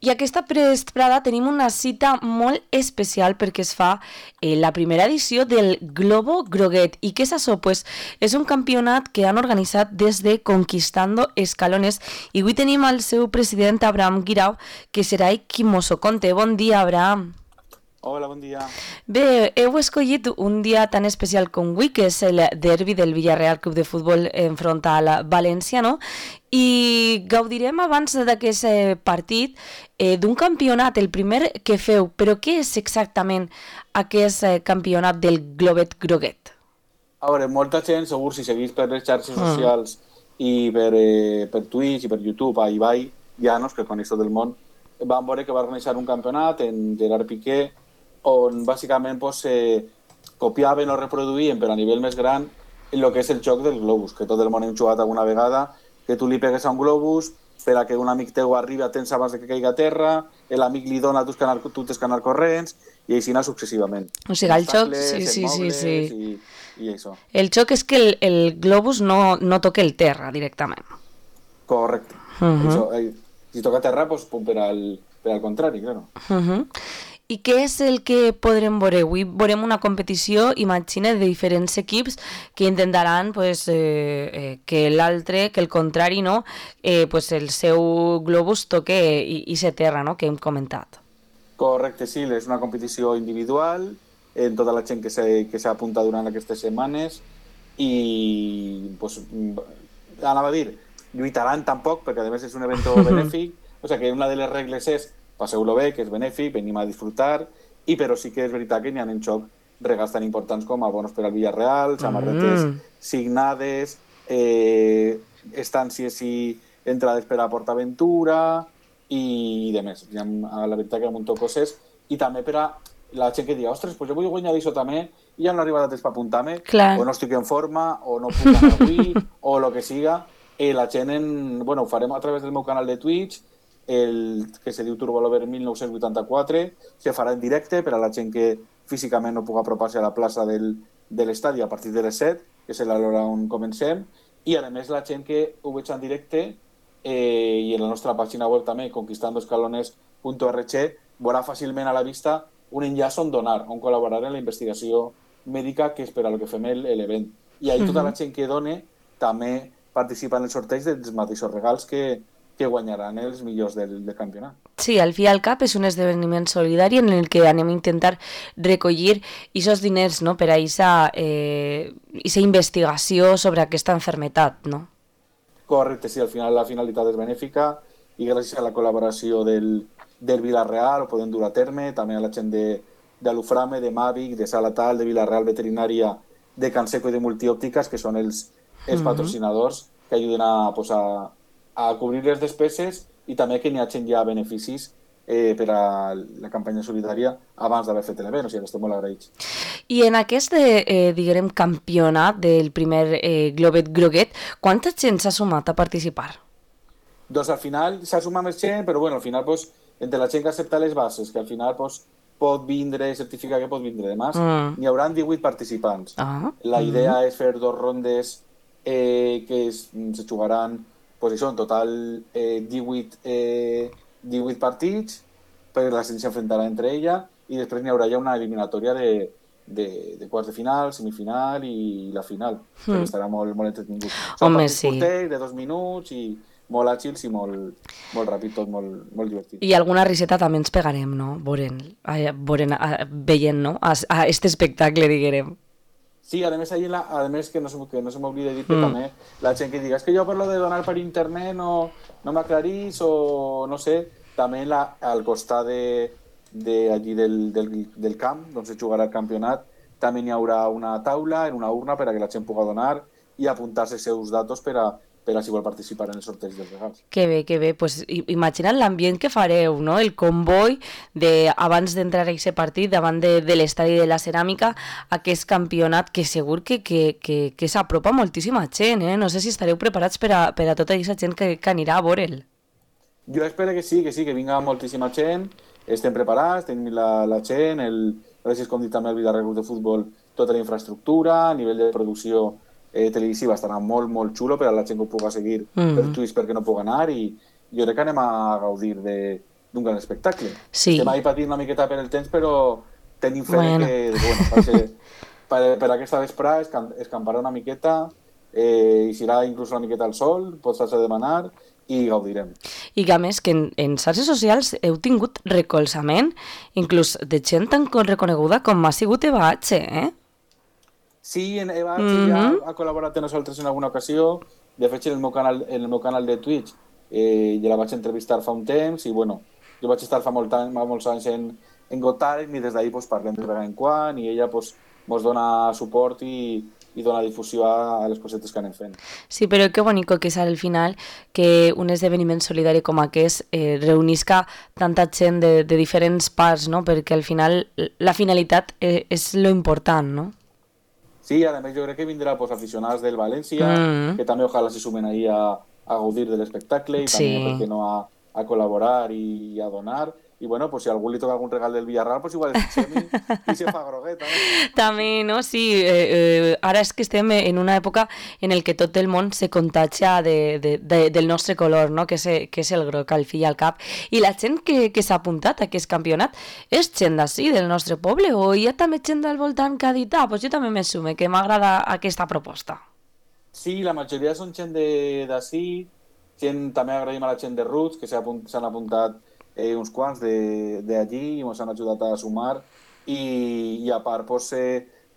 I aquesta vesprada tenim una cita molt especial perquè es fa la primera edició del Globo Groguet. I què és això? Pues és un campionat que han organitzat des de Conquistando Escalones i avui tenim el seu president Abraham Guirao, que serà qui mos ho conte. Bon dia, Abraham. Hola, bon dia. Bé, heu escollit un dia tan especial com avui, que és el derbi del Villarreal Club de Futbol enfront al València, no? I gaudirem abans d'aquest partit d'un campionat, el primer que feu. Però què és exactament aquest campionat del Globet Groguet? A veure, molta gent, segur, si seguís per les xarxes socials i per Twitch i per YouTube, a Ibai Llanos, que coneix tot el món, van veure que va organitzar un campionat en Gerard Piqué, on bàsicament pues, copiaven o reproduïen, però a nivell més gran, el que és el joc del globus, que tot el món hem jugat alguna vegada, que tu li pegues a un globus per a que un amic teu arribi a temps abans de que caigui a terra, l'amic li dona tu tens que anar corrents, i així anar successivament. O sigui, el joc... Sí. I això. El joc és que el globus no toca el terra directament. Correcte. Això, si toca terra, pues, per al contrari, claro. I què és el que podrem veure? Avui veurem una competició, imagina, de diferents equips que intentaran pues, que l'altre, que el contrari, no? Pues el seu globus toque i se terra, no? Que hem comentat. Correcte, sí, és una competició individual en tota la gent que s'ha apuntat durant aquestes setmanes i pues, anava a dir, lluitaran tampoc, perquè a més és un evento benèfic, o sigui que una de les regles és passeu-lo bé, que és benèfic, venim a disfrutar, però sí que és veritat que n'hi ha en joc regals tan importants com abonos per al Villarreal, samarretes signades, estàncies i entrades per a PortAventura i de més. La veritat que hi ha un munt de coses. I també per a la gent que diga, ostres, pues jo vull guanyar d'això també i ja no arriba a temps per apuntar-me, o no estic en forma, o no puc anar avui, o el que siga. La gent, ho farem a través del meu canal de Twitch, el que se diu Turbolover 1984, se farà en directe per a la gent que físicament no pugui apropar-se a la plaça de l'estadi a partir de les 7, que és l'hora on comencem, i a més la gent que ho veig en directe i en la nostra pàgina web també, conquistandoescalones.org, veurà fàcilment a la vista un enllaç on donar, on col·laborar en la investigació mèdica, que és per a lo que fem l'event. I ahir tota la gent que done també participa en el sorteig dels mateixos regals que guanyaran els millors del campionat. Sí, al fi i al cap és un esdeveniment solidari en el que anem a intentar recollir aquests diners, no?, per a aquesta investigació sobre aquesta malaltia, no? Correcte, sí, al final la finalitat és benèfica i gràcies a la col·laboració del Villarreal ho podem dur a terme, també a la gent de l'Uframe, de Mavic, de Salatal, de Villarreal Veterinària, de Canseco i de Multiòptiques, que són els patrocinadors que ajuden a cobrir les despeses i també que n'hi hagi ja beneficis per a la campanya solidària abans d'haver fet l'event, o sigui que estem molt agraïts. I en aquest, diguem, campionat del primer Globet Groguet, quanta gent s'ha sumat a participar? Doncs al final s'ha sumat més gent, però al final, entre la gent que accepta les bases, que al final pot vindre, certificar que pot vindre demà, n'hi haurà 18 participants. La idea és fer 2 rondes que se jugaran en total 18 partits, perquè la gent s'enfrontarà entre ella i després n'hi haurà ja una eliminatòria de quarts de final, semifinal i la final, que estarà molt entretingut. Són partits curtets, de 2 minuts i molt àgils i molt ràpid, tot molt divertit. I alguna riseta també ens pegarem, no? Veient, no? A aquest espectacle, diguem. Sí, a més que no se m'oblida dir que també la gent que diga és que jo per lo de donar per internet no m'aclarís o no sé, també al costat allí del camp, on se jugarà el campionat, també n'hi haurà una taula en una urna per a que la gent pugui donar i apuntar-se els seus datos per a si vol participar en el sorteig dels regals. Que bé. Pues, imagina't l'ambient que fareu, no? El comboi abans d'entrar a aquest partit davant de l'estadi de la Ceràmica, aquest campionat que segur que s'apropa moltíssima gent, eh? No sé si estareu preparats per a tota aquesta gent que anirà a veure'l. Jo espero que sí, que vinga moltíssima gent, estem preparats, tenim la gent, gràcies com dit també al Villarreal de Futbol, tota la infraestructura, a nivell de producció televisiva estarà molt, molt xulo per a la gent que ho pugui seguir per Twitch perquè no pugui anar i jo crec que anem a gaudir d'un gran espectacle. Sí. Estem ahí patint una miqueta per el temps, però tenim fe que per aquesta vesprada escamparà una miqueta, i serà inclús una miqueta al sol, pots fer demanar i gaudirem. I que a més que en xarxes socials heu tingut recolzament inclús de gent tan reconeguda com ha sigut Eva H, Sí, Eva H ja ha col·laborat amb nosaltres en alguna ocasió. De fet, en el meu canal de Twitch ja la vaig entrevistar fa un temps i bueno, jo vaig estar fa molts anys en Got Talent i des d'ahir pues, parlem de vegada en quan i ella pues, mos dona suport i dona difusió a les cosetes que anem fent. Sí, però que bonico que és al final que un esdeveniment solidari com aquest reunisca tanta gent de diferents parts, no? Perquè al final la finalitat és lo important, no? Sí, a més jo crec que vindrà pues, aficionats del València, que també ojalà se sumen ahí a gaudir de l'espectacle i també, per què no, a col·laborar i a donar. I bueno, pues si a algú li toca algun regal del Villarreal, pues igual es fixem i se fa grogueta. També, no? Sí, ara és que estem en una època en el que tot el món se contagia del nostre color, no? Que és el groc, al fi i al cap. I la gent que s'ha apuntat a aquest campionat és gent d'ací, del nostre poble, o hi ha també gent del voltant que ha dit, pues jo també me sume, que m'agrada aquesta proposta. Sí, la majoria són gent d'ací, també agraïm a la gent de Roots, que s'han apuntat uns quants d'allí i ens han ajudat a sumar i a part pues,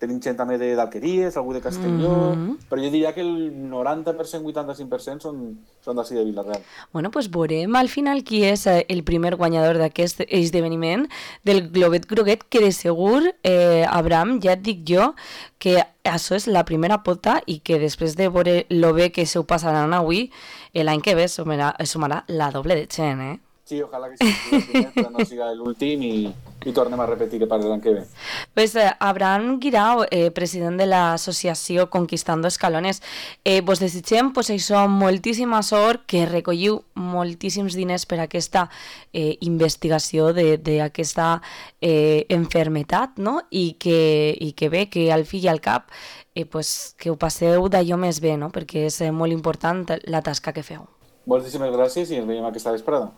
tenim gent també d'Alqueries, algú de Castelló, però jo diria que el 90%, 85% són d'ací de Vila-real. Bueno, pues veurem al final qui és el primer guanyador d'aquest esdeveniment del Globet Groguet, que de segur, Abraham, ja et dic jo, que això és la primera pota i que després de veure lo bé que s'ho passaran avui, l'any que ve sumarà la doble de gent, Sí, ojalà que sigui el primer, però no siga l'últim i tornem a repetir per l'any que ve. Pues Abraham Guirao, president de l'associació Conquistando Escalones, vos desitgem pues, això, moltíssima sort, que recolliu moltíssims diners per aquesta investigació d'aquesta enfermetat, no? I que bé, que al fi i al cap pues, que ho passeu d'allò més bé, no? Perquè és molt important la tasca que feu. Moltíssimes gràcies i ens veiem aquesta vesprada.